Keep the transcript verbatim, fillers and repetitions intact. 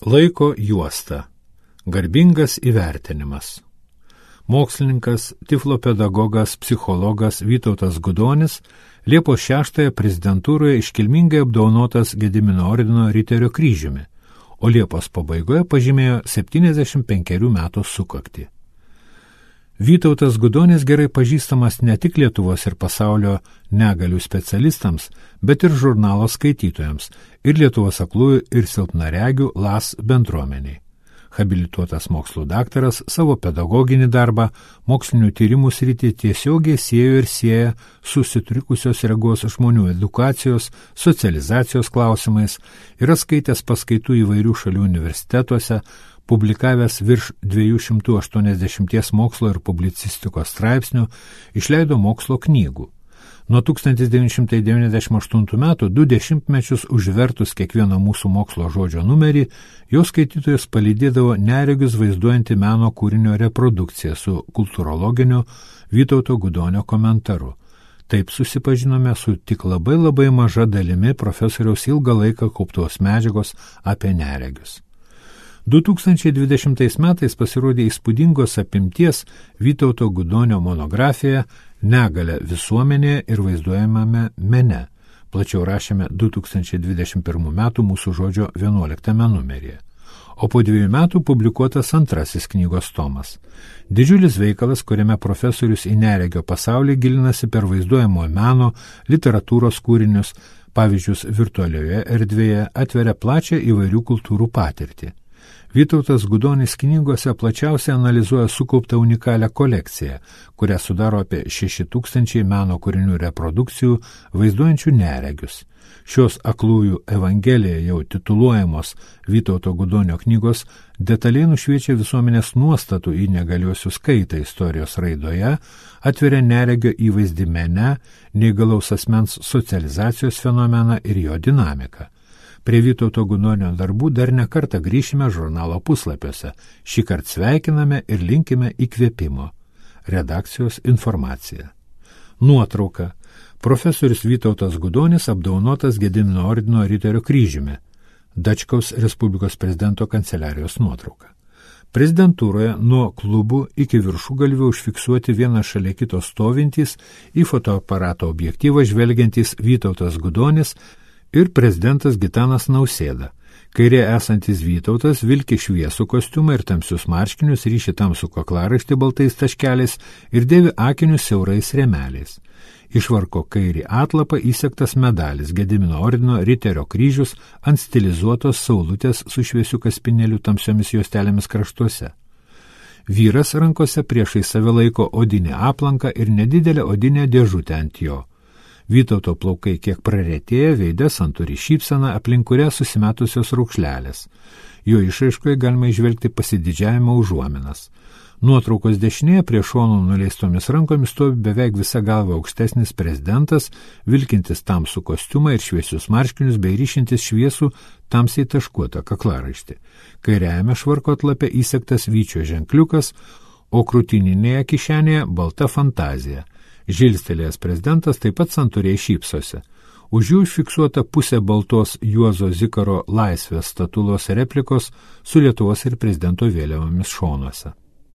Laiko juosta. Garbingas įvertinimas. Mokslininkas, tiflopedagogas, psichologas Vytautas Gudonis Liepos šeštąją prezidentūroje iškilmingai apdovanotas Gedimino ordino Riterio kryžiumi, o Liepos pabaigoje pažymėjo septyniasdešimt penkerių metų sukaktį. Vytautas Gudonis gerai pažįstamas ne tik Lietuvos ir pasaulio negalių specialistams, bet ir žurnalo skaitytojams ir Lietuvos aklųjų ir silpnaregių L A S bendruomeniai. Habilituotas mokslų daktaras savo pedagoginį darbą mokslinių tyrimų sritį tiesiogiai siejo ir sieja su sutrikusios regos žmonių edukacijos, socializacijos klausimais, yra skaitęs paskaitų įvairių šalių universitetuose, publikavęs virš dviejų šimtų aštuoniasdešimties mokslo ir publicistikos straipsnių, išleido mokslo knygų. Nuo tūkstantis devyni šimtai devyniasdešimt aštuntų metų du dešimtmečius užvertus kiekvieno mūsų mokslo žodžio numerį, jo skaitytojus palydėdavo neregius vaizduojanti meno kūrinio reprodukcija su kultūrologiniu Vytauto Gudonio komentaru. Taip susipažinome su tik labai labai maža dalimi profesoriaus ilgą laiką kauptos medžiagos apie neregius. du tūkstančiai dvidešimtais metais pasirodė įspūdingos apimties Vytauto Gudonio monografija Negalia visuomenėje ir vaizduojamame mene. Plačiau rašėme du tūkstančiai dvidešimt pirmų metų mūsų žodžio vienuoliktame numeryje. O po dviejų metų publikuotas antrasis knygos tomas. Didžiulis veikalas, kuriame profesorius į neregio pasaulį gilinasi per vaizduojamo meno, literatūros kūrinius, pavyzdžius virtualioje erdvėje, atveria plačią įvairių kultūrų patirtį. Vytautas Gudonis knygose plačiausiai analizuoja sukauptą unikalią kolekciją, kurią sudaro apie šeši tūkstančiai meno kūrinių reprodukcijų vaizduojančių neregius. Šios aklųjų evangelija jau tituluojamos Vytauto Gudonio knygos detaliai nušviečia visuomenės nuostatų į negaliuosius kaitą istorijos raidoje, atveria neregio įvaizdį mene, neįgalaus asmens socializacijos fenomeną ir jo dinamiką. Prie Vytauto Gudonio darbų dar ne kartą grįšime žurnalo puslapiuose. Šį kartą sveikiname ir linkime įkvėpimo. Redakcijos informacija. Nuotrauka. Profesorius Vytautas Gudonis apdovanotas Gedimino ordino Riterio kryžiumi. Dačkaus Respublikos prezidento kanceliarijos nuotrauka. Prezidentūroje nuo klubų iki viršugalvių užfiksuoti vieną šalia kito stovintys į fotoaparato objektyvą žvelgiantys Vytautas Gudonis ir prezidentas Gitanas Nausėda. Kairė esantis Vytautas vilki šviesų kostiumą ir tamsius marškinius, ryši tamsų kaklaraištį baltais taškeliais ir dėvi akinius siaurais rėmeliais. Išvarko kairį atlapą įsegtas medalis Gedimino ordino Riterio kryžius ant stilizuotos saulutės su šviesiu kaspinėliu tamsiomis juostelėmis kraštuose. Vyras rankose priešai save laiko odinę aplanką ir nedidelę odinę dėžutę ant jo. Vytauto plaukai kiek praretėję, veide santūri šypsena, aplink kurią susimetusios raukšlelės. Jo išraiškoje galima išvelgti pasididžiavimo užuominas. Nuotraukos dešinėje prie šonų nuleistomis rankomis stovi beveik visa galva aukštesnis prezidentas, vilkintis tamsų kostiumą ir šviesius marškinius bei ryšintis šviesų tamsiai taškuotą kaklaraištį. Kairiajame švarko atlape įsegtas vyčio ženkliukas, o krūtininėje kišenėje balta fantazija. Žilstelėjęs prezidentas taip pat santūriai šypsosi. Už jų užfiksuota pusė baltos Juozo Zikaro laisvės statulos replikos su Lietuvos ir prezidento vėliavomis šonuose.